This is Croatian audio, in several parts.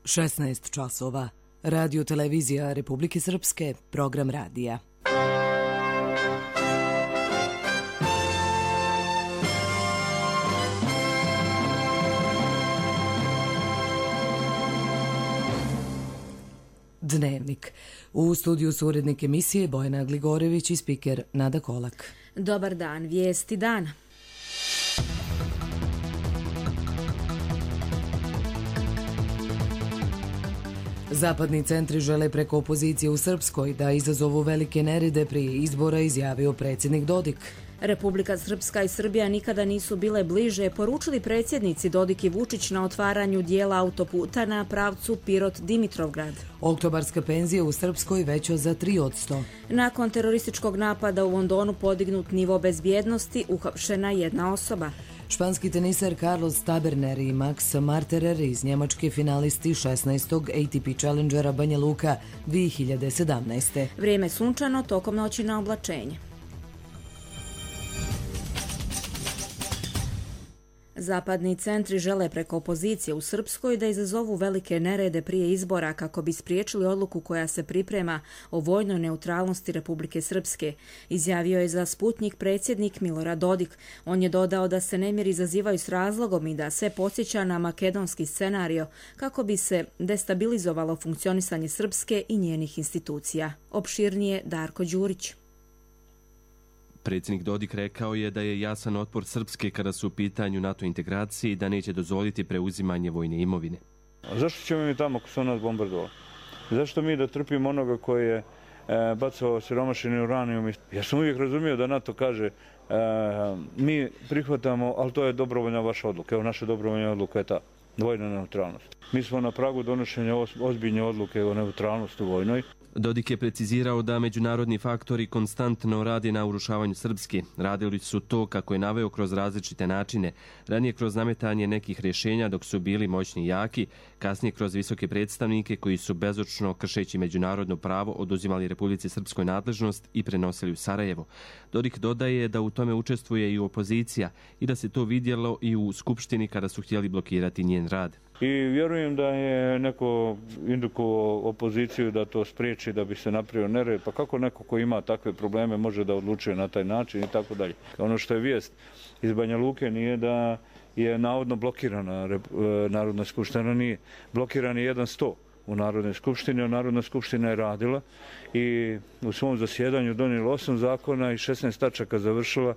16 časova. Radio televizija Republike Srpske, program radija. Dnevnik. U studiju su urednik emisije Bojana Gligorević i spiker Nada Kolak. Dobar dan, vijesti dana. Zapadni centri žele preko opozicije u Srpskoj da izazovu velike nerede prije izbora, izjavio predsjednik Dodik. Republika Srpska i Srbija nikada nisu bile bliže, poručili predsjednici Dodik i Vučić na otvaranju dijela autoputa na pravcu Pirot-Dimitrovgrad. Oktobarska penzija u Srpskoj veća za 3%. Nakon terorističkog napada u Londonu podignut nivo bezbjednosti, uhapšena jedna osoba. Španski tenisar Carlos Taberner i Max Marterer iz Njemačke finalisti 16. ATP Challengera Banja Luka 2017. Vrijeme sunčano, tokom noći na oblačenje. Zapadni centri žele preko opozicije u Srpskoj da izazovu velike nerede prije izbora kako bi spriječili odluku koja se priprema o vojnoj neutralnosti Republike Srpske, izjavio je za Sputnjik predsjednik Milorad Dodik. On je dodao da se nemiri izazivaju s razlogom i da se podsjeća na makedonski scenario kako bi se destabilizovalo funkcionisanje Srpske i njenih institucija. Opširnije Darko Đurić. Predsjednik Dodik rekao je da je jasan otpor Srpske kada su u pitanju NATO integracije i da neće dozvoliti preuzimanje vojne imovine. A zašto ćemo mi tamo ako su nas bombardovali? Zašto mi da trpimo onoga koji je bacao siromašeni uranijum? Ja sam uvijek razumio da NATO kaže mi prihvatamo, ali to je dobrovoljna vaša odluka. Evo, naša dobrovoljna odluka je ta vojna neutralnost. Mi smo na pragu donošenja ozbiljne odluke o neutralnosti vojnoj. Dodik je precizirao da međunarodni faktori konstantno rade na urušavanju Srpske. Radili su to, kako je naveo, kroz različite načine. Ranije kroz nametanje nekih rješenja dok su bili moćni i jaki, kasnije kroz visoke predstavnike koji su bezočno, kršeći međunarodno pravo, oduzimali Republici Srpskoj nadležnost i prenosili u Sarajevo. Dodik dodaje da u tome učestvuje i opozicija i da se to vidjelo i u Skupštini kada su htjeli blokirati njen rad. I vjerujem da je neko indukovao opoziciju da to spriječi, da bi se napravio nered. Pa kako neko ko ima takve probleme može da odlučuje na taj način i tako dalje. Ono što je vijest iz Banja Luke nije da je navodno blokirana Narodna skupština, nije. Blokiran je 1-100 u Narodnoj skupštini, a Narodna skupština je radila i u svom zasjedanju donijela 8 zakona i 16 tačaka završila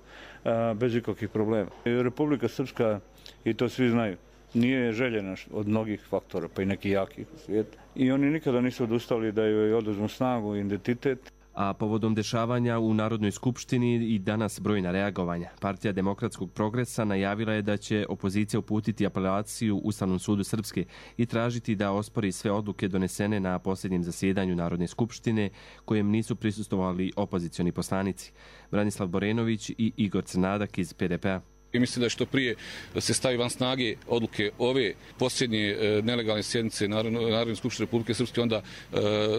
bez ikakvih problema. Republika Srpska, i to svi znaju, nije željena od mnogih faktora, pa i nekih jakih u svijetu. I oni nikada nisu odustali da joj oduzmu snagu i identitet. A povodom dešavanja u Narodnoj skupštini i danas brojna reagovanja. Partija Demokratskog progresa najavila je da će opozicija uputiti apelaciju Ustavnom sudu Srpske i tražiti da ospori sve odluke donesene na posljednjem zasjedanju Narodne skupštine kojem nisu prisustvovali opozicioni poslanici. Branislav Borenović i Igor Crnadak iz PDP-a. I mislim da je što prije da se stavi van snage odluke ove posljednje nelegalne sjednice Narodne skupštine Republike Srpske, onda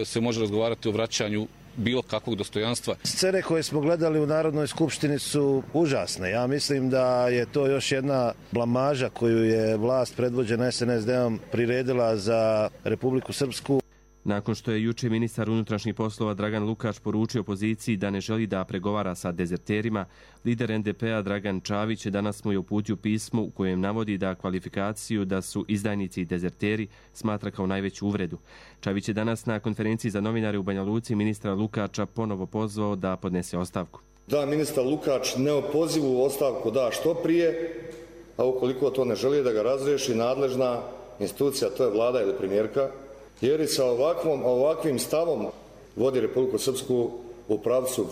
se može razgovarati o vraćanju bilo kakvog dostojanstva. Scene koje smo gledali u Narodnoj skupštini su užasne. Ja mislim da je to još jedna blamaža koju je vlast predvođena SNSD-om priredila za Republiku Srpsku. Nakon što je juče ministar unutrašnjih poslova Dragan Lukač poručio opoziciji da ne želi da pregovara sa dezerterima, lider NDP-a Dragan Čavić danas mu je uputio pismo u kojem navodi da kvalifikaciju da su izdajnici i dezerteri smatra kao najveću uvredu. Čavić je danas na konferenciji za novinare u Banja Luci ministra Lukača ponovo pozvao da podnese ostavku. Da ministar Lukač neopozivu ostavku da što prije, a ukoliko to ne želi da ga razriješi nadležna institucija, to je vlada ili premijerka, jer i sa ovakvim stavom vodi Republiku Srpsku u pravcu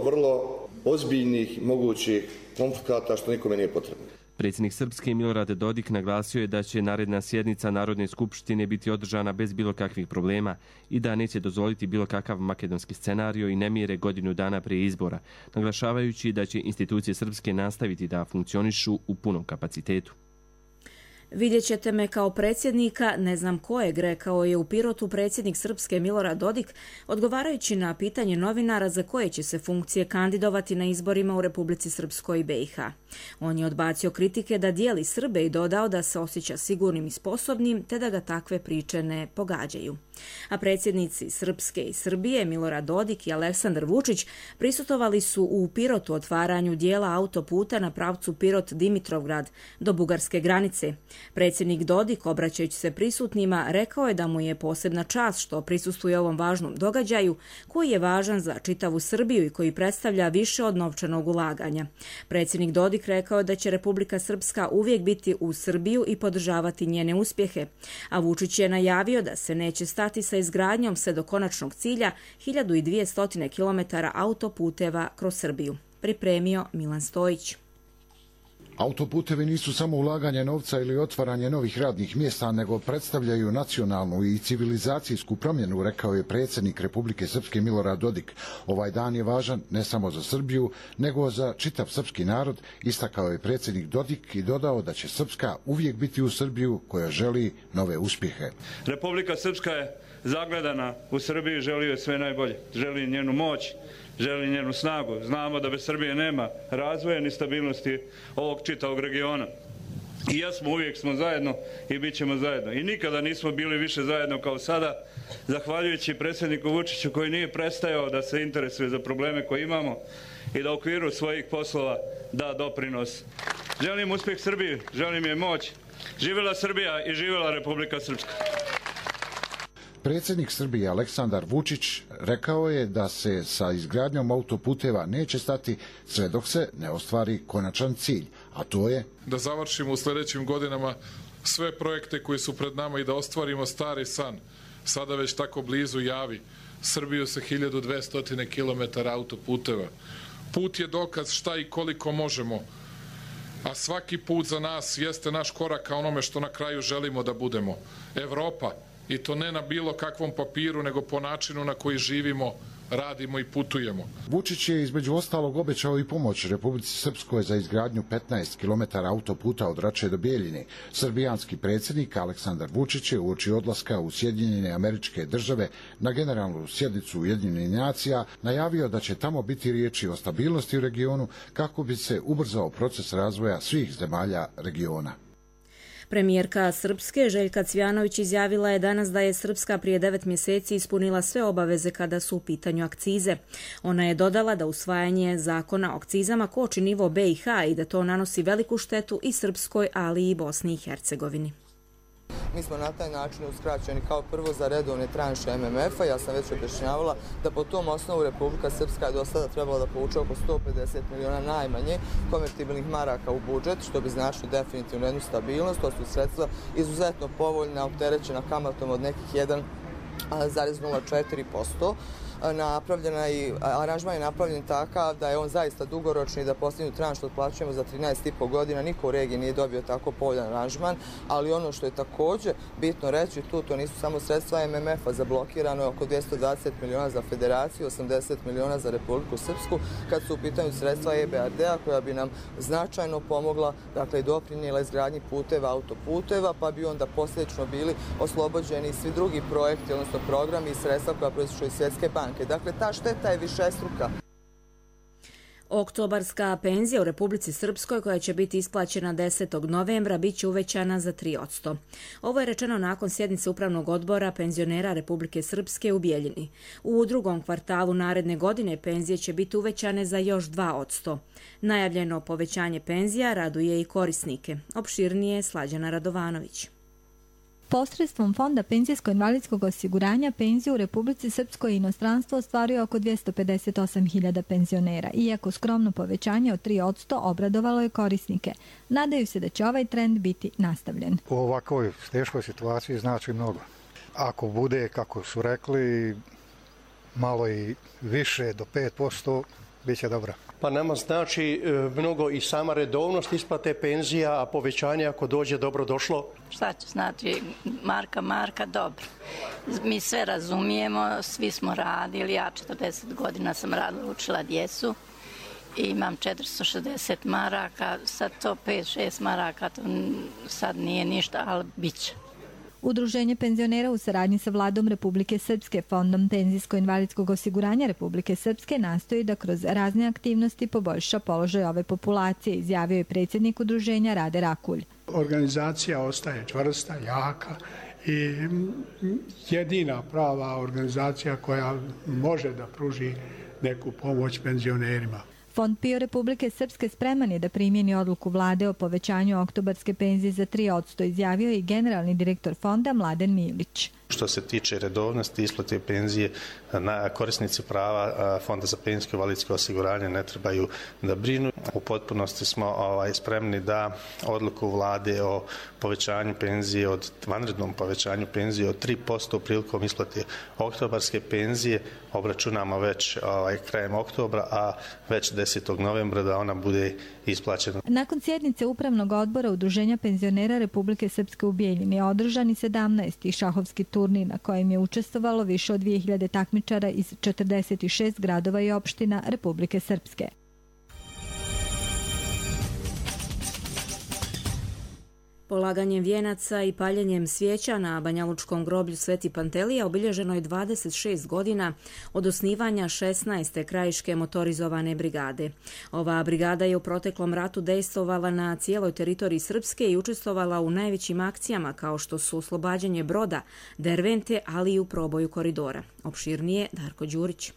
vrlo ozbiljnih mogućih konflikata što nikome nije potrebno. Predsjednik Srpske Milorad Dodik naglasio je da će naredna sjednica Narodne skupštine biti održana bez bilo kakvih problema i da neće dozvoliti bilo kakav makedonski scenario i nemire godinu dana prije izbora, naglašavajući da će institucije Srpske nastaviti da funkcionišu u punom kapacitetu. Vidjet ćete me kao predsjednika, ne znam kojeg, rekao je u Pirotu predsjednik Srpske Milorad Dodik, odgovarajući na pitanje novinara za koje će se funkcije kandidovati na izborima u Republici Srpskoj i BiH. On je odbacio kritike da dijeli Srbe i dodao da se osjeća sigurnim i sposobnim, te da ga takve priče ne pogađaju. A predsjednici Srpske i Srbije, Milorad Dodik i Aleksandar Vučić, prisutovali su u Pirotu otvaranju dijela autoputa na pravcu Pirot-Dimitrovgrad do bugarske granice. Predsjednik Dodik, obraćajući se prisutnima, rekao je da mu je posebna čast što prisustvuje ovom važnom događaju, koji je važan za čitavu Srbiju i koji predstavlja više od novčanog ulaganja. Predsjednik Dodik rekao je da će Republika Srpska uvijek biti uz Srbiju i podržavati njene uspjehe, a Vučić je najavio da se neće stati sa izgradnjom sve do konačnog cilja 1200 km autoputeva kroz Srbiju. Pripremio Milan Stojić. Autoputevi nisu samo ulaganje novca ili otvaranje novih radnih mjesta, nego predstavljaju nacionalnu i civilizacijsku promjenu, rekao je predsjednik Republike Srpske Milorad Dodik. Ovaj dan je važan ne samo za Srbiju, nego za čitav srpski narod, istakao je predsjednik Dodik i dodao da će Srpska uvijek biti u Srbiju koja želi nove uspjehe. Republika Srpska je zagledana u Srbiji, želi joj sve najbolje, želi njenu moć, želi njenu snagu. Znamo da bez Srbije nema razvoja ni stabilnosti ovog čitavog regiona. I uvijek smo zajedno i bit ćemo zajedno. I nikada nismo bili više zajedno kao sada, zahvaljujući predsjedniku Vučiću koji nije prestajao da se interesuje za probleme koje imamo i da u okviru svojih poslova da doprinos. Želim uspjeh Srbiji, želim je moć. Živjela Srbija i živjela Republika Srpska. Predsjednik Srbije Aleksandar Vučić rekao je da se sa izgradnjom autoputeva neće stati sve dok se ne ostvari konačan cilj, a to je da završimo u sljedećim godinama sve projekte koji su pred nama i da ostvarimo stari san, sada već tako blizu Javi, Srbiju sa 1200 km autoputeva. Put je dokaz šta i koliko možemo, a svaki put za nas jeste naš korak ka onome što na kraju želimo da budemo. Evropa, i to ne na bilo kakvom papiru, nego po načinu na koji živimo, radimo i putujemo. Vučić je između ostalog obećao i pomoć Republici Srpskoj za izgradnju 15 km autoputa od Rače do Bijeljine. Srbijanski predsjednik Aleksandar Vučić je uoči odlaska u Sjedinjene Američke Države na generalnu sjednicu Ujedinjenih nacija najavio da će tamo biti riječi o stabilnosti u regionu kako bi se ubrzao proces razvoja svih zemalja regiona. Premijerka Srpske Željka Cvjanović izjavila je danas da je Srpska prije 9 mjeseci ispunila sve obaveze kada su u pitanju akcize. Ona je dodala da usvajanje zakona o akcizama koči nivo BiH i da to nanosi veliku štetu i Srpskoj, ali i Bosni i Hercegovini. Mi smo na taj način uskraćeni kao prvo za redovne tranše MMF-a. Ja sam već objašnjavala da po tom osnovu Republika Srpska je do sada trebala da povuče oko 150 miliona najmanje konvertibilnih maraka u budžet, što bi značilo definitivno jednu stabilnost. To su sredstva izuzetno povoljna, opterećena kamatom od nekih 1,04%. Aranžman je napravljen takav da je on zaista dugoročni i da posljednju tranšu otplaćujemo za 13,5 godina. Niko u regiji nije dobio tako povoljan aranžman, ali ono što je također bitno reći, to nisu samo sredstva MMF-a, zablokirano je oko 220 miliona za federaciju, 80 miliona za Republiku Srpsku, kad su u pitanju sredstva EBRD-a koja bi nam značajno pomogla, dakle i doprinijela izgradnji puteva, autoputeva, pa bi onda posljedično bili oslobođeni svi drugi projekti, odnosno programi i sredstva koja proističu iz Svjetske banke. Dakle, ta šteta je višestruka. Oktobarska penzija u Republici Srpskoj, koja će biti isplaćena 10. novembra, bit će uvećana za 3%. Ovo je rečeno nakon sjednice Upravnog odbora penzionera Republike Srpske u Bijeljini. U drugom kvartalu naredne godine penzije će biti uvećane za još 2%. Najavljeno povećanje penzija raduje i korisnike. Opširnije Slađana Radovanović. Posredstvom Fonda penzijsko-invalidskog osiguranja penziju u Republici Srpskoj i inostranstvo ostvaruje oko 258.000 penzionera. Iako skromno povećanje od 3% obradovalo je korisnike. Nadaju se da će ovaj trend biti nastavljen. U ovakvoj teškoj situaciji znači mnogo. Ako bude, kako su rekli, malo i više do 5%, bit će dobro. Pa nama znači mnogo i sama redovnost isplate penzija, a povećanje ako dođe dobro došlo. Šta će znači marka, dobro. Mi sve razumijemo, svi smo radili, ja 40 godina sam radila, učila djecu i imam 460 maraka, sad to 5-6 maraka, to sad nije ništa, ali bit će. Udruženje penzionera u saradnji sa Vladom Republike Srpske, Fondom penzijsko-invalidskog osiguranja Republike Srpske nastoji da kroz razne aktivnosti poboljša položaj ove populacije, izjavio je predsjednik udruženja Rade Rakulj. Organizacija ostaje čvrsta, jaka i jedina prava organizacija koja može da pruži neku pomoć penzionerima. Fond PIO Republike Srpske spreman je da primjeni odluku vlade o povećanju oktobarske penzije za 3%, izjavio je i generalni direktor fonda Mladen Milić. Što se tiče redovnosti isplate penzije, korisnici prava Fonda za penzijsko i invalidsko osiguranje ne trebaju da brinu. U potpunosti smo spremni da odluku vlade o povećanju penzije, vanrednom povećanju penzije od 3% prilikom isplate oktobarske penzije obračunamo već krajem oktobra, a već 10. novembra da ona bude isplaćena. Nakon sjednice Upravnog odbora Udruženja penzionera Republike Srpske u Bijeljini je održan i 17. šahovski turnir na kojem je učestvovalo više od 2000 takmičara iz 46 gradova i opština Republike Srpske. Polaganjem vijenaca i paljenjem svijeća na Banjalučkom groblju Sveti Pantelija obilježeno je 26 godina od osnivanja 16. krajiške motorizovane brigade. Ova brigada je u proteklom ratu dejstvovala na cijeloj teritoriji Srpske i učestvovala u najvećim akcijama kao što su oslobađanje Broda, Dervente, ali i u proboju koridora. Opširnije Darko Đurić.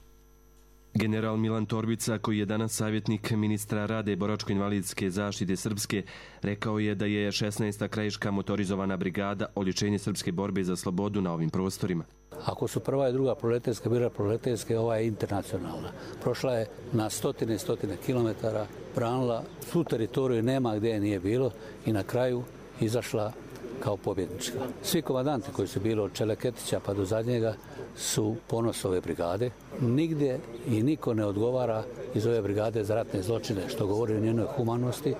General Milan Torbica, koji je danas savjetnik ministra rada i boračko-invalidske zaštite Srpske, rekao je da je 16. krajiška motorizovana brigada oličenje srpske borbe za slobodu na ovim prostorima. Ako su prva i druga proletarska bila proletarska, ova je internacionalna. Prošla je na stotine kilometara, branila svu teritoriju, nema gdje je nije bilo i na kraju izašla kao pobjednička. Svi komandanti koji su bili od Čeleketića pa do zadnjega su ponos ove brigade. Nigdje i niko ne odgovara iz ove brigade za ratne zločine, što govori o njenoj humanosti,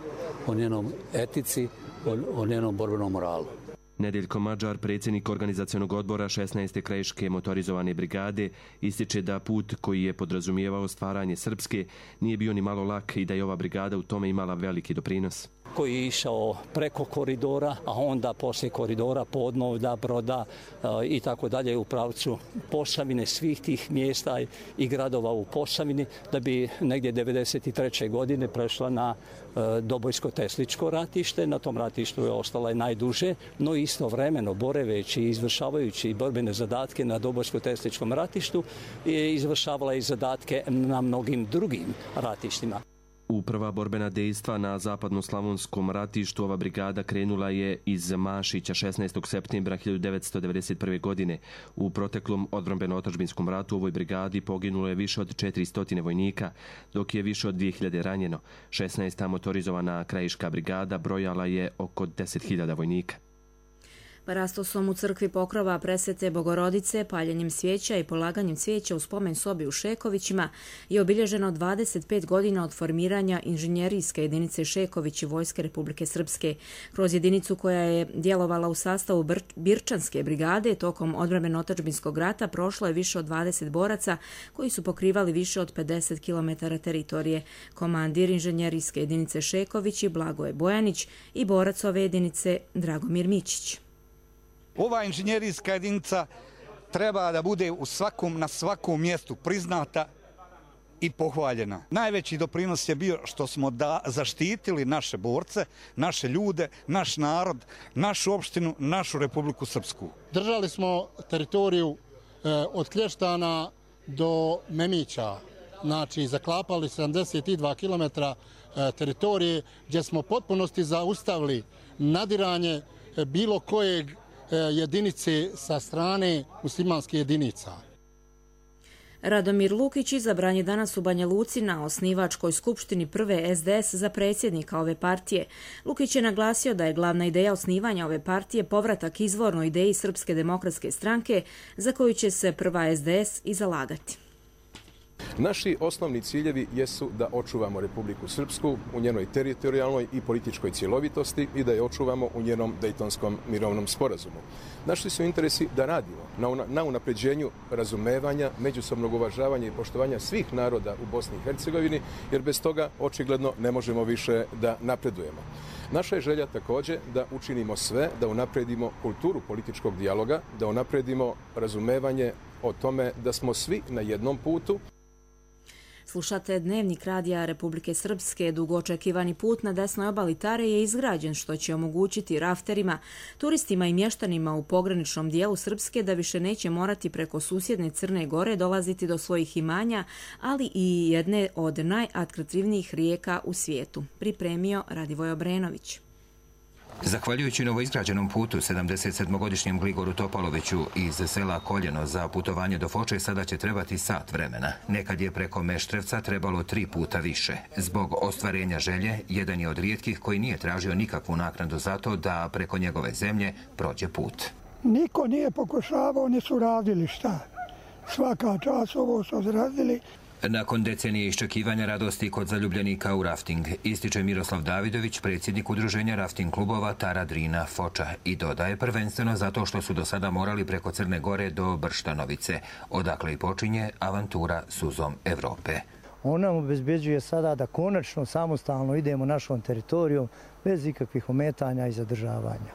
o njenom etici, o njenom borbenom moralu. Nedeljko Mađar, predsjednik organizacionog odbora 16. krajiške motorizovane brigade, ističe da put koji je podrazumijevao stvaranje Srpske nije bio ni malo lak i da je ova brigada u tome imala veliki doprinos. Koji je išao preko koridora, a onda poslije koridora Podnovda, Broda i tako dalje u pravcu Posavine, svih tih mjesta i gradova u Posavini, da bi negdje 1993. godine prešla na Dobojsko-Tesličko ratište. Na tom ratištu je ostala i najduže, no istovremeno boreveći i izvršavajući borbene zadatke na Dobojsko-Tesličkom ratištu je izvršavala i zadatke na mnogim drugim ratištima. U prva borbena dejstva na zapadno-slavonskom ratištu ova brigada krenula je iz Mašića 16. septembra 1991. godine. U proteklom odbrambeno-otadžbinskom ratu u ovoj brigadi poginulo je više od 400 vojnika, dok je više od 2000 ranjeno. 16. motorizovana krajiška brigada brojala je oko 10.000 vojnika. Parastosom u crkvi Pokrova Presvete Bogorodice, paljenjem svijeća i polaganjem cvijeća u spomen sobi u Šekovićima je obilježeno 25 godina od formiranja inženjerijske jedinice Šekovići Vojske Republike Srpske. Kroz jedinicu koja je djelovala u sastavu Birčanske brigade tokom odbrambeno-otadžbinskog rata prošlo je više od 20 boraca koji su pokrivali više od 50 km teritorije. Komandir inženjerijske jedinice Šekovići Blagoje Bojanić i borac ove jedinice Dragomir Mićić. Ova inženjerijska jedinica treba da bude na svakom mjestu priznata i pohvaljena. Najveći doprinos je bio što smo zaštitili naše borce, naše ljude, naš narod, našu opštinu, našu Republiku Srpsku. Držali smo teritoriju od Klještana do Memića, znači zaklapali 72 km teritorije gdje smo potpunosti zaustavili nadiranje bilo kojeg jedinice sa strane muslimanskih jedinica. Radomir Lukić izabran je danas u Banja Luci na osnivačkoj skupštini prve SDS za predsjednika ove partije. Lukić je naglasio da je glavna ideja osnivanja ove partije povratak izvornoj ideji Srpske demokratske stranke za koju će se prva SDS i zalagati. Naši osnovni ciljevi jesu da očuvamo Republiku Srpsku u njenoj teritorijalnoj i političkoj cjelovitosti i da je očuvamo u njenom Dejtonskom mirovnom sporazumu. Naši su interesi da radimo na unapređenju razumevanja, međusobnog uvažavanja i poštovanja svih naroda u Bosni i Hercegovini, jer bez toga očigledno ne možemo više da napredujemo. Naša je želja također da učinimo sve, da unapredimo kulturu političkog dijaloga, da unapredimo razumevanje o tome da smo svi na jednom putu. Slušate Dnevnik radija Republike Srpske. Dugo očekivani put na desnoj obali Tare je izgrađen, što će omogućiti rafterima, turistima i mještanima u pograničnom dijelu Srpske da više neće morati preko susjedne Crne Gore dolaziti do svojih imanja, ali i jedne od najatraktivnijih rijeka u svijetu. Pripremio Radivoj Obrenović. Zahvaljujući novoizgrađenom putu 77-godišnjem Gligoru Topaloviću iz sela Koljeno za putovanje do Foče sada će trebati sat vremena. Nekad je preko Meštrevca trebalo 3 puta više. Zbog ostvarenja želje, jedan je od rijetkih koji nije tražio nikakvu naknadu za to da preko njegove zemlje prođe put. Niko nije pokušavao, nisu radili šta. Svaka čast ovo su odradili. Nakon decenije iščekivanja radosti kod zaljubljenika u rafting, ističe Miroslav Davidović, predsjednik udruženja rafting klubova Tara, Drina, Foča, i dodaje prvenstveno zato što su do sada morali preko Crne Gore do Brštanovice, odakle i počinje avantura suzom Evrope. On nam obezbeđuje sada da konačno samostalno idemo našom teritorijom bez ikakvih ometanja i zadržavanja.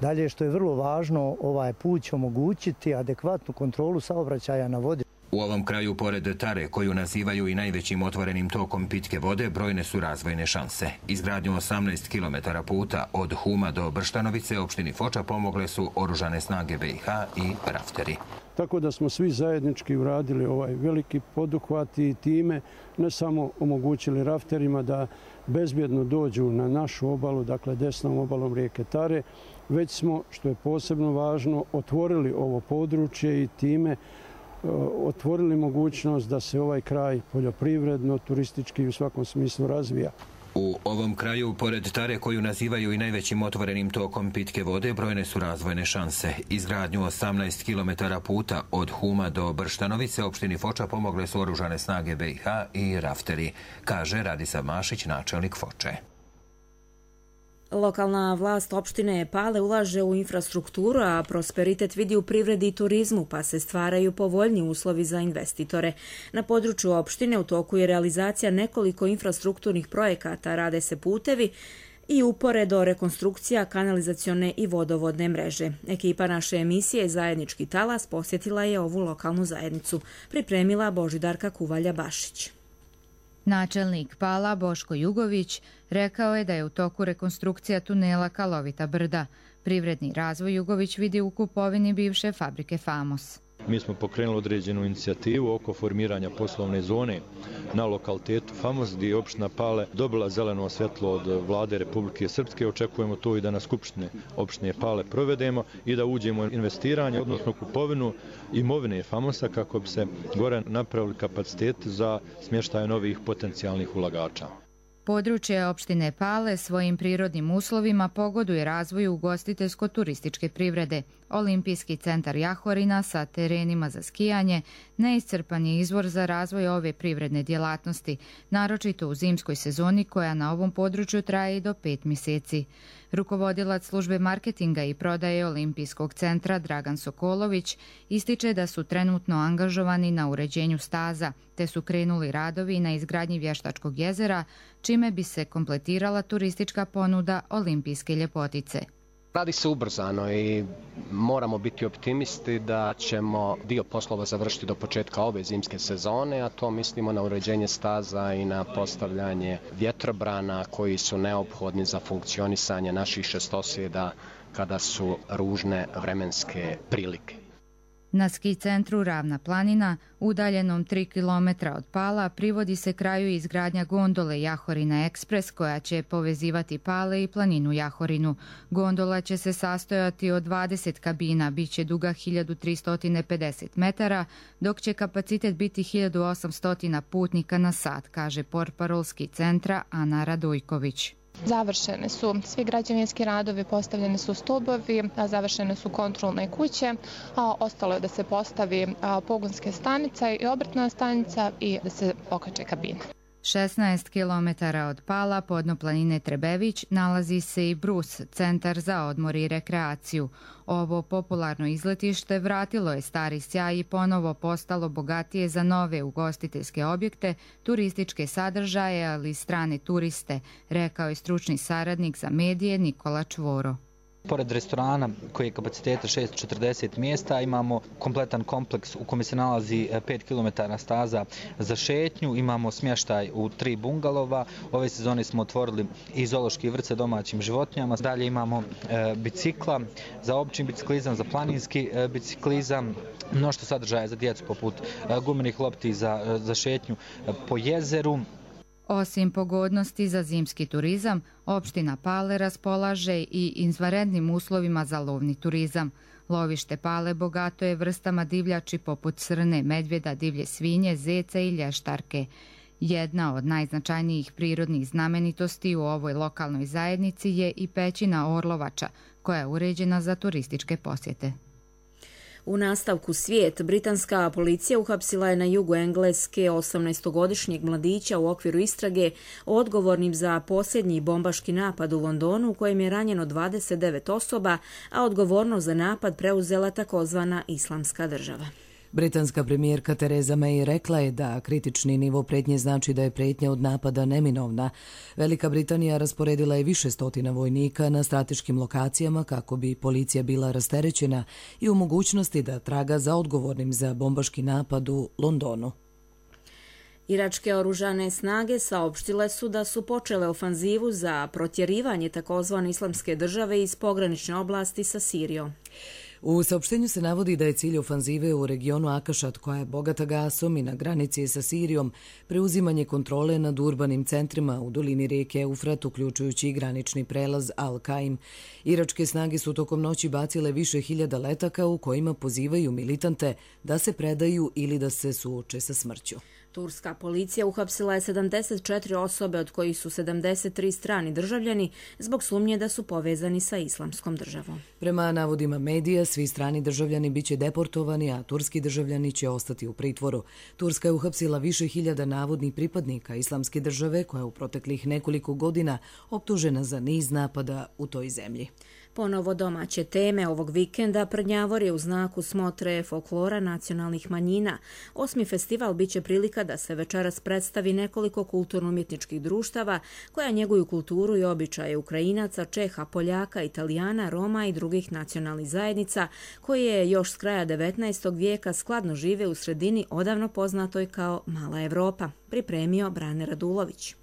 Dalje, što je vrlo važno, ovaj put će omogućiti adekvatnu kontrolu saobraćaja na vodi. U ovom kraju, pored Tare, koju nazivaju i najvećim otvorenim tokom pitke vode, brojne su razvojne šanse. Izgradnju 18 km puta od Huma do Brštanovice opštini Foča pomogle su Oružane snage BiH i rafteri. Tako da smo svi zajednički uradili ovaj veliki poduhvat i time ne samo omogućili rafterima da bezbjedno dođu na našu obalu, dakle desnom obalom rijeke Tare, već smo, što je posebno važno, otvorili ovo područje i time otvorili mogućnost da se ovaj kraj poljoprivredno, turistički i u svakom smislu razvija. U ovom kraju, pored Tare, koju nazivaju i najvećim otvorenim tokom pitke vode, brojne su razvojne šanse. Izgradnju 18 km puta od Huma do Brštanovice opštini Foča pomogle su Oružane snage BiH i rafteri, kaže Radisav Mašić, načelnik Foče. Lokalna vlast opštine Pale ulaže u infrastrukturu, a prosperitet vidi u privredi i turizmu, pa se stvaraju povoljni uslovi za investitore. Na području opštine u toku je realizacija nekoliko infrastrukturnih projekata, rade se putevi i uporedo rekonstrukcija kanalizacione i vodovodne mreže. Ekipa naše emisije Zajednički talas posjetila je ovu lokalnu zajednicu. Pripremila Božidarka Kuvalja-Bašić. Načelnik Pala Boško Jugović rekao je da je u toku rekonstrukcija tunela Kalovita brda. Privredni razvoj Jugović vidi u kupovini bivše fabrike Famos. Mi smo pokrenuli određenu inicijativu oko formiranja poslovne zone na lokalitetu Famos, gdje je opština Pale dobila zeleno svjetlo od vlade Republike Srpske. Očekujemo to i da na skupštine opštine Pale provedemo i da uđemo u investiranje, odnosno kupovinu imovine Famosa, kako bi se gore napravili kapacitet za smještaj novih potencijalnih ulagača. Područje opštine Pale svojim prirodnim uslovima pogoduje razvoju ugostiteljsko-turističke privrede. Olimpijski centar Jahorina sa terenima za skijanje neiscrpan je izvor za razvoj ove privredne djelatnosti, naročito u zimskoj sezoni koja na ovom području traje i do 5 mjeseci. Rukovodilac službe marketinga i prodaje Olimpijskog centra Dragan Sokolović ističe da su trenutno angažovani na uređenju staza, te su krenuli radovi na izgradnji vještačkog jezera, čime bi se kompletirala turistička ponuda olimpijske ljepotice. Radi se ubrzano i moramo biti optimisti da ćemo dio poslova završiti do početka ove zimske sezone, a to mislimo na uređenje staza i na postavljanje vjetrobrana koji su neophodni za funkcionisanje naših šestosjeda kada su ružne vremenske prilike. Na ski centru Ravna planina, udaljenom 3 km od Pala, privodi se kraju izgradnja gondole Jahorina Ekspres koja će povezivati Pale i planinu Jahorinu. Gondola će se sastojati od 20 kabina, bit će duga 1350 metara, dok će kapacitet biti 1800 putnika na sat, kaže portparol ski centra Ana Radojković. Završene su svi građevinski radovi, postavljeni su stubovi, završene su kontrolne kuće, a ostalo je da se postavi pogonske stanice i obrtna stanica i da se okače kabine. 16 km od Pala, podno planine Trebević, nalazi se i Brus, centar za odmor i rekreaciju. Ovo popularno izletište vratilo je stari sjaj i ponovo postalo bogatije za nove ugostiteljske objekte, turističke sadržaje, ali i strane turiste, rekao je stručni saradnik za medije Nikola Čvoro. Pored restorana koji je kapaciteta 640 mjesta, imamo kompletan kompleks u kome se nalazi 5 km staza za šetnju, imamo smještaj u 3 bungalova, ove sezone smo otvorili i zoološki vrt sa domaćim životinjama, dalje imamo bicikla za obični biciklizam, za planinski biciklizam, mnoštvo sadržaja za djecu poput gumenih lopti za šetnju po jezeru. Osim pogodnosti za zimski turizam, opština Pale raspolaže i izvanrednim uslovima za lovni turizam. Lovište Pale bogato je vrstama divljači poput srne, medvjeda, divlje svinje, zeca i lještarke. Jedna od najznačajnijih prirodnih znamenitosti u ovoj lokalnoj zajednici je i pećina Orlovača, koja je uređena za turističke posjete. U nastavku svijet, britanska policija uhapsila je na jugu Engleske 18-godišnjeg mladića u okviru istrage odgovornim za posljednji bombaški napad u Londonu u kojem je ranjeno 29 osoba, a odgovornost za napad preuzela takozvana Islamska država. Britanska premijerka Theresa May rekla je da kritični nivo prijetnje znači da je prijetnja od napada neminovna. Velika Britanija rasporedila je više stotina vojnika na strateškim lokacijama kako bi policija bila rasterećena i u mogućnosti da traga za odgovornim za bombaški napad u Londonu. Iračke oružane snage saopštile su da su počele ofanzivu za protjerivanje takozvane Islamske države iz pogranične oblasti sa Sirijom. U saopštenju se navodi da je cilj ofanzive u regionu Akašat, koja je bogata gasom i na granici sa Sirijom, preuzimanje kontrole nad urbanim centrima u dolini rijeke Eufrat, uključujući i granični prelaz Al-Kaim. Iračke snage su tokom noći bacile više hiljada letaka u kojima pozivaju militante da se predaju ili da se suoče sa smrću. Turska policija uhapsila je 74 osobe, od kojih su 73 strani državljani, zbog sumnje da su povezani sa Islamskom državom. Prema navodima medija, svi strani državljani biće deportovani, a turski državljani će ostati u pritvoru. Turska je uhapsila više hiljada navodnih pripadnika Islamske države, koja je u proteklih nekoliko godina optužena za niz napada u toj zemlji. Ponovo domaće teme ovog vikenda Prnjavor je u znaku smotre folklora nacionalnih manjina. 8. festival biće prilika da se večeras predstavi nekoliko kulturno-umjetničkih društava koja njeguju kulturu i običaje Ukrajinaca, Čeha, Poljaka, Italijana, Roma i drugih nacionalnih zajednica koje još s kraja 19. vijeka skladno žive u sredini odavno poznatoj kao Mala Evropa, pripremio Brane Radulović.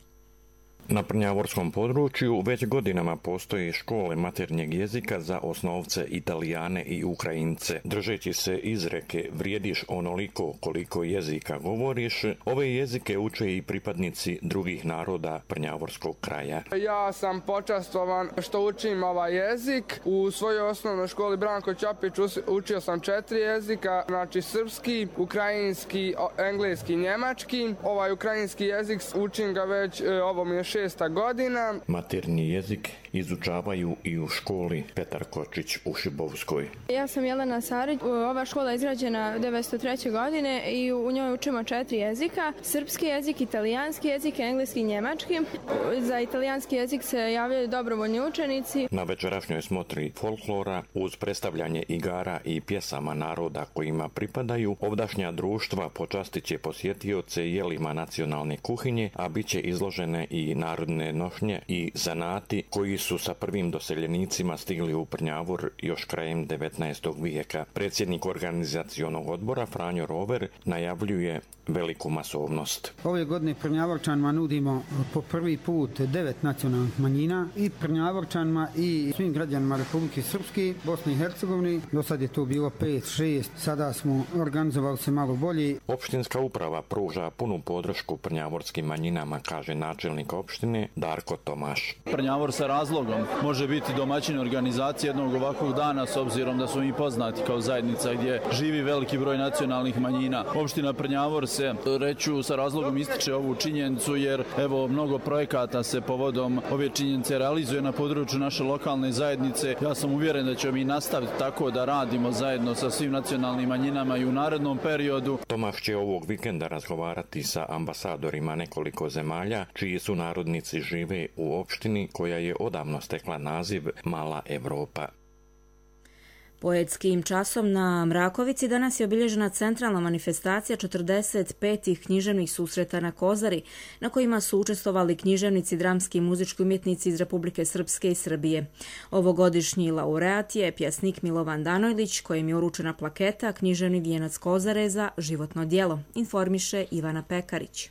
Na prnjavorskom području već godinama postoje škole maternjeg jezika za osnovce Italijane i Ukrajince. Držeći se izreke vrijediš onoliko koliko jezika govoriš, ove jezike uče i pripadnici drugih naroda prnjavorskog kraja. Ja sam počastovan što učim ovaj jezik. U svojoj osnovnoj školi Branko Ćapić učio sam 4 jezika, znači srpski, ukrajinski, engleski, njemački. Ovaj ukrajinski jezik učim ga već, ovo mi je 6. godina. Maternji jezik izučavaju i u školi Petar Kočić u Šibovskoj. Ja sam Jelena Sarić. Ova škola je izgrađena 1903. godine i u njoj učimo 4 jezika. Srpski jezik, italijanski jezik, engleski i njemački. Za italijanski jezik se javljaju dobrovoljni učenici. Na večerašnjoj smotri folklora uz predstavljanje igara i pjesama naroda kojima pripadaju, ovdašnja društva počastit će posjetioce jelima nacionalne kuhinje, a bit će izložene i narodne nošnje i zanati koji su sa prvim doseljenicima stigli u Prnjavor još krajem 19. vijeka. Predsjednik organizacionog odbora Franjo Rover najavljuje veliku masovnost. Ove godine Prnjavorčanima nudimo po prvi put 9 nacionalnih manjina i Prnjavorčanima i svim građanima Republike Srpske, Bosne i Hercegovine. Do sad je to bilo 5-6, sada smo organizovali se malo bolje. Opštinska uprava pruža punu podršku prnjavorskim manjinama, kaže načelnik opštine Darko Tomaš. Prnjavor se razvija razlogom može biti domaćin organizacije jednog ovakvog dana, s obzirom da smo mi poznati kao zajednica gdje živi veliki broj nacionalnih manjina. Opština Prnjavor se, reću, sa razlogom ističe ovu činjenicu, jer evo mnogo projekata se povodom ove činjenice realizuje na području naše lokalne zajednice. Ja sam uvjeren da ćemo mi nastaviti tako da radimo zajedno sa svim nacionalnim manjinama i u narednom periodu. Tomaš će ovog vikenda razgovarati sa ambasadorima nekoliko zemalja čiji su narodnici žive u opštini koja je odavno stekla naziv Mala Evropa. Poetskim časom na Mrakovici danas je obilježena centralna manifestacija 45. književnih susreta na Kozari, na kojima su učestvovali književnici, dramski i muzički umjetnici iz Republike Srpske i Srbije. Ovogodišnji laureat je pjesnik Milovan Danojlić, kojem je uručena plaketa Književni vijenac Kozare za životno djelo, informiše Ivana Pekarić.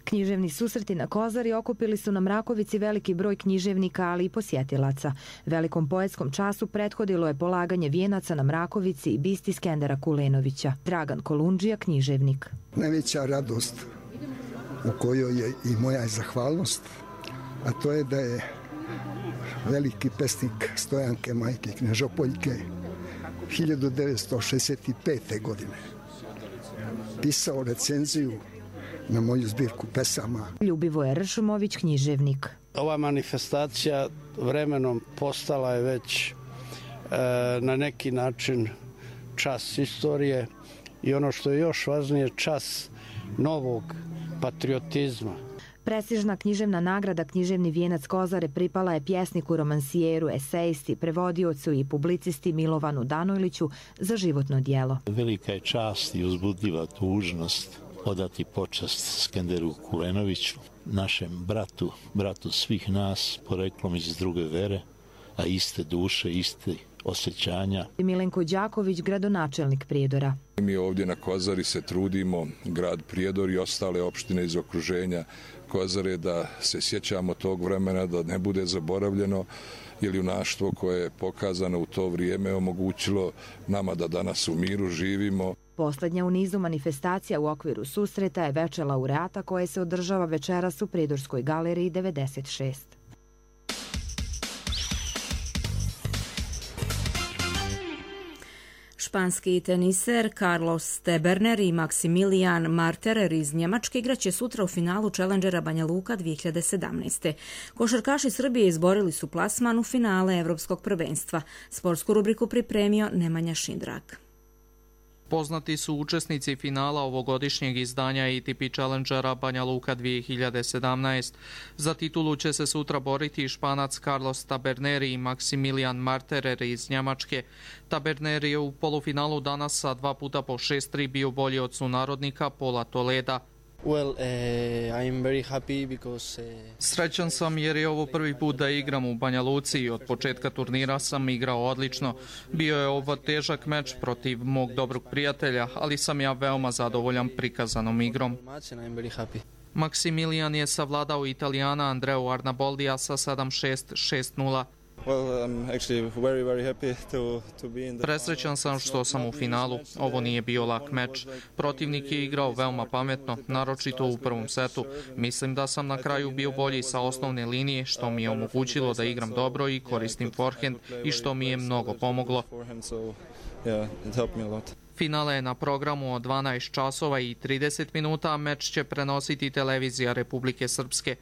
Književni susreti na Kozari okupili su na Mrakovici veliki broj književnika, ali i posjetilaca. Velikom poetskom času prethodilo je polaganje vijenaca na Mrakovici i bisti Skendera Kulenovića. Dragan Kolundžija, književnik. Najveća radost u kojoj je i moja zahvalnost, a to je da je veliki pesnik Stojanke Majke Knežopoljke 1965. godine pisao recenziju na moju zbirku pesama. Ljubivoje Ršumović, književnik. Ova manifestacija vremenom postala je već na neki način čas istorije i ono što je još važnije, čas novog patriotizma. Prestižna književna nagrada Književni vijenac Kozare pripala je pjesniku, romansijeru, esejisti, prevodiocu i publicisti Milovanu Danojliću za životno djelo. Velika je čast i uzbudljiva dužnost odati počast Skenderu Kulenoviću, našem bratu svih nas, poreklom iz druge vere, a iste duše, iste osjećanja. Milenko Đaković, gradonačelnik Prijedora. Mi ovdje na Kozari se trudimo, grad Prijedor i ostale opštine iz okruženja Kozare, da se sjećamo tog vremena, da ne bude zaboravljeno, jer junaštvo koje je pokazano u to vrijeme omogućilo nama da danas u miru živimo. Posljednja u nizu manifestacija u okviru susreta je večer laureata koje se održava večeras u Prijedorskoj galeriji 96. Španski teniser Carlos Teberner i Maximilian Marterer iz Njemačke igraće sutra u finalu Challengera Banja Luka 2017. Košarkaši Srbije izborili su plasman u finale Evropskog prvenstva. Sportsku rubriku pripremio Nemanja Šindrak. Poznati su učesnici finala ovogodišnjeg izdanja ATP Challengera Banja Luka 2017. Za titulu će se sutra boriti Španac Carlos Taberner i Maximilian Marterer iz Njemačke. Taberner je u polufinalu danas sa 2 puta po 6-3 bio bolji od sunarodnika Paula Toleda. Srećan sam jer je ovo prvi put da igram u Banja Luci i od početka turnira sam igrao odlično. Bio je ovo težak meč protiv mog dobrog prijatelja, ali sam ja veoma zadovoljan prikazanom igrom. Maximilian je savladao Italijana Andreu Arnaboldija sa 7-6, 6-0. Presrećan sam što sam u finalu. Ovo nije bio lak meč. Protivnik je igrao veoma pametno, naročito u prvom setu. Mislim da sam na kraju bio bolji sa osnovne linije, što mi je omogućilo da igram dobro i koristim forehand i što mi je mnogo pomoglo. Finale je na programu od 12 časova i 30 minuta, a meč će prenositi televizija Republike Srpske.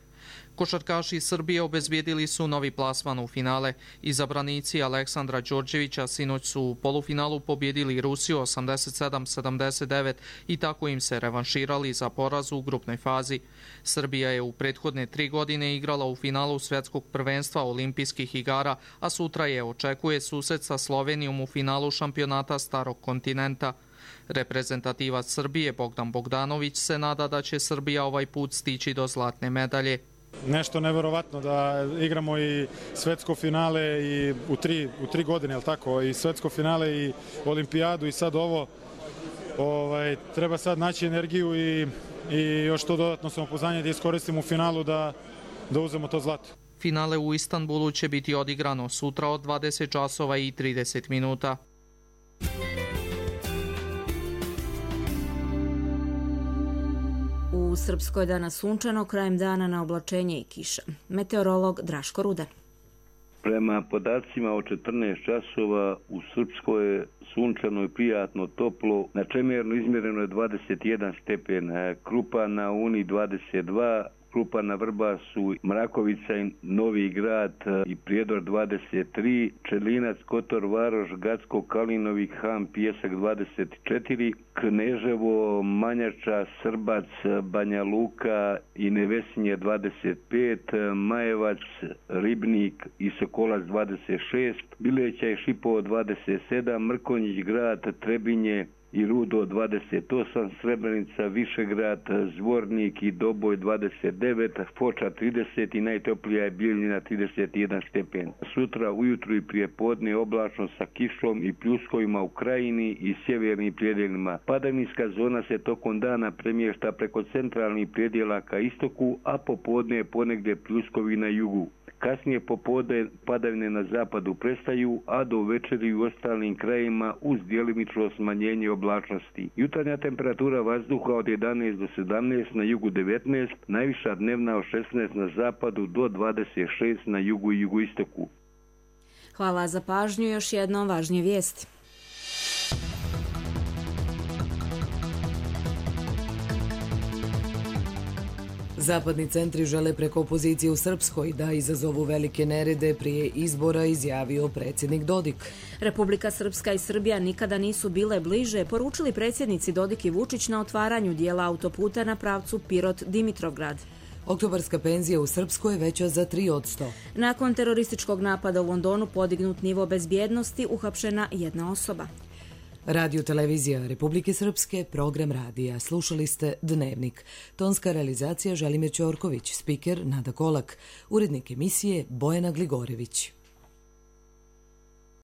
Košarkaši Srbije obezbijedili su novi plasman u finale. Izabranici Aleksandra Đorđevića sinoć su u polufinalu pobjedili Rusiju 87-79 i tako im se revanširali za poraz u grupnoj fazi. Srbija je u prethodne 3 godine igrala u finalu svjetskog prvenstva olimpijskih igara, a sutra je očekuje susret sa Slovenijom u finalu šampionata Starog kontinenta. Reprezentativac Srbije Bogdan Bogdanović se nada da će Srbija ovaj put stići do zlatne medalje. Nešto neverovatno da igramo i svetsko finale i u tri godine, jel tako, i svetsko finale i olimpijadu i sad ovo. Treba sad naći energiju i još to dodatno samopouzdanje da iskoristimo u finalu da uzmemo to zlato. Finale u Istanbulu će biti odigrano sutra od 20 časova i 30 minuta. U U Srpskoj danas sunčano, krajem dana na oblačenje i kiša. Meteorolog Draško Rudan. Prema podacima od 14 časova u Srpskoj je sunčano i prijatno toplo. Na Čemernu izmjereno je 21 stepen, Krupa na Uni 22, Krupa na Vrbasu, Mrakovica i Novi Grad i Prijedor 23, Čelinac, Kotor, Varoš, Gacko, Kalinovi, Ham, Pijesak 24, Kneževo, Manjača, Srbac, Banja Luka i Nevesinje 25, Majevac, Ribnik i Sokolac 26, Bileća i Šipovo 27, Mrkonjić Grad, Trebinje i Rudo 28, Srebrenica, Višegrad, Zvornik i Doboj 29, Foča 30 i najtoplija je Bijeljina 31 stepen. Sutra ujutru i prije podne oblačno sa kišom i pljuskovima u krajini i sjevernim predjelima. Padavinska zona se tokom dana premješta preko centralnih predjela ka istoku, a popodne je ponegdje pljuskovi na jugu. Kasnije popodne padavine na zapadu prestaju, a do večeri u ostalim krajima uz djelimično smanjenje oblačnosti. Jutarnja temperatura vazduha od 11 do 17, na jugu 19, najviša dnevna od 16 na zapadu do 26 na jugu i jugoistoku. Hvala za pažnju, još jednom važnije vijesti. Zapadni centri žele preko opozicije u Srpskoj da izazovu velike nerede prije izbora, izjavio predsjednik Dodik. Republika Srpska i Srbija nikada nisu bile bliže, poručili predsjednici Dodik i Vučić na otvaranju dijela autoputa na pravcu Pirot-Dimitrovgrad. Oktobarska penzija u Srpskoj je veća za 3%. Nakon terorističkog napada u Londonu podignut nivo bezbjednosti, uhapšena jedna osoba. Radio televizija Republike Srpske, program radija. Slušali ste Dnevnik. Tonska realizacija Želimir Ćorković, spiker Nada Kolak, urednik emisije Bojana Gligorević.